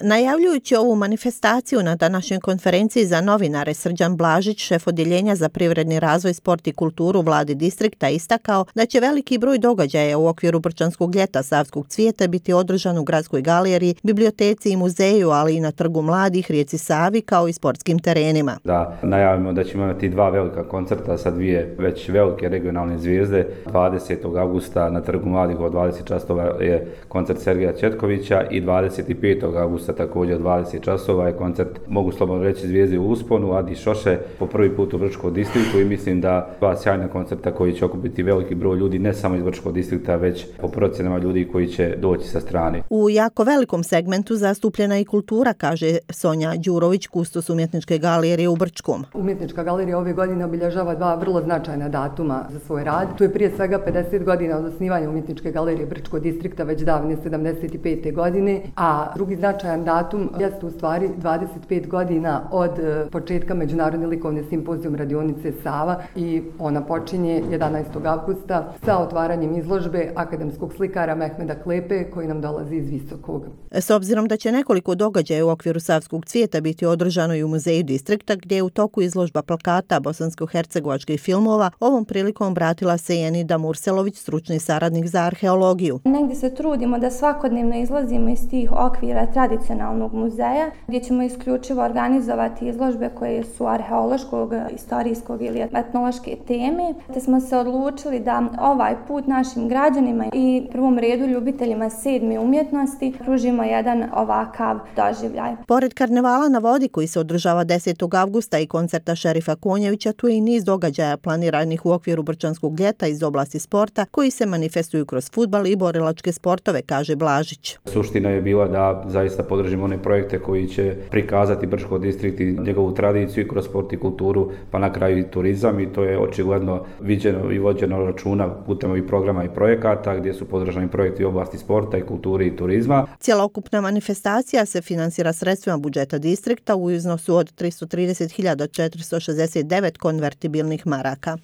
Najavljujući ovu manifestaciju na današnjoj konferenciji za novinare, Srđan Blažić, šef odjeljenja za privredni razvoj, sport i kulturu vladi distrikta, istakao da će veliki broj događaja u okviru Brčanskog ljeta Savskog cvijeta biti održan u gradskoj galeriji, biblioteci i muzeju, ali i na Trgu mladih, rijeci Savi, kao i sportskim terenima. Da najavimo da ćemo imati dva velika koncerta sa dvije već velike regionalne zvijezde. 20. augusta na Trgu mladih od 20 časova je koncert Sergeja Četkovića i 25. augusta također od 20 časova je koncert, mogu slobodno reći, zvijezde u usponu, Adi Šoše, po prvi put u Brčkom distriktu, i mislim da dva sjajna koncerta koji će okupiti veliki broj ljudi, ne samo iz Brčkog distrikta, već po procjenama ljudi koji će doći sa strane. U jako velikom segmentu zastupljena i kultura, kaže Sonja Đurović, kustos umjetničke galerije u Brčkom. Umjetnička galerija ove godine obilježava dva vrlo značajna datuma za svoj rad. Tu je prije svega 50 godina od osnivanja umjetničke galerije Brčkog distrikta, već davne 75. godine, a drugi značajan datum jeste u stvari 25 godina od početka Međunarodne likovne simpozijum radionice Sava, i ona počinje 11. augusta sa otvaranjem izložbe akademskog slikara Mehmeda Klepe, koji nam dolazi iz Visokog. S obzirom da će nekoliko događaja u okviru Savskog cvijeta biti održano i u muzeju distrikta, gdje je u toku izložba plakata bosansko-hercegovačkih filmova, ovom prilikom obratila se i Enida Murselović, stručni saradnik za arheologiju. Negdje se trudimo da svakodnevno izlazimo iz tih okvira tradicionalnog muzeja, gdje ćemo isključivo organizovati izložbe koje su arheološkog, istorijskog ili etnološke teme, te smo se odlučili da ovaj put našim građanima i prvom redu ljubiteljima sedme umjetnosti pružimo jedan ovakav doživljaj. Pored karnevala na vodi koji se održava 10. avgusta i koncerta Šerifa Konjevića, tu je i niz događaja planiranih u okviru Brčanskog ljeta iz oblasti sporta koji se manifestuju kroz fudbal i borilačke sportove, kaže Blažić. Suština je bila da zaista podržimo one projekte koji će prikazati Brčko distrikt i njegovu tradiciju i kroz sport i kulturu, pa na kraju i turizam, i to je očigledno viđeno i vođeno računa putem ovih programa i projekata gdje su podržani projekti u oblasti sporta i kulture i turizma. Cjelokupna manifestacija se finansira sredstvima budžeta distrikta u iznosu od 330.469 konvertibilnih maraka.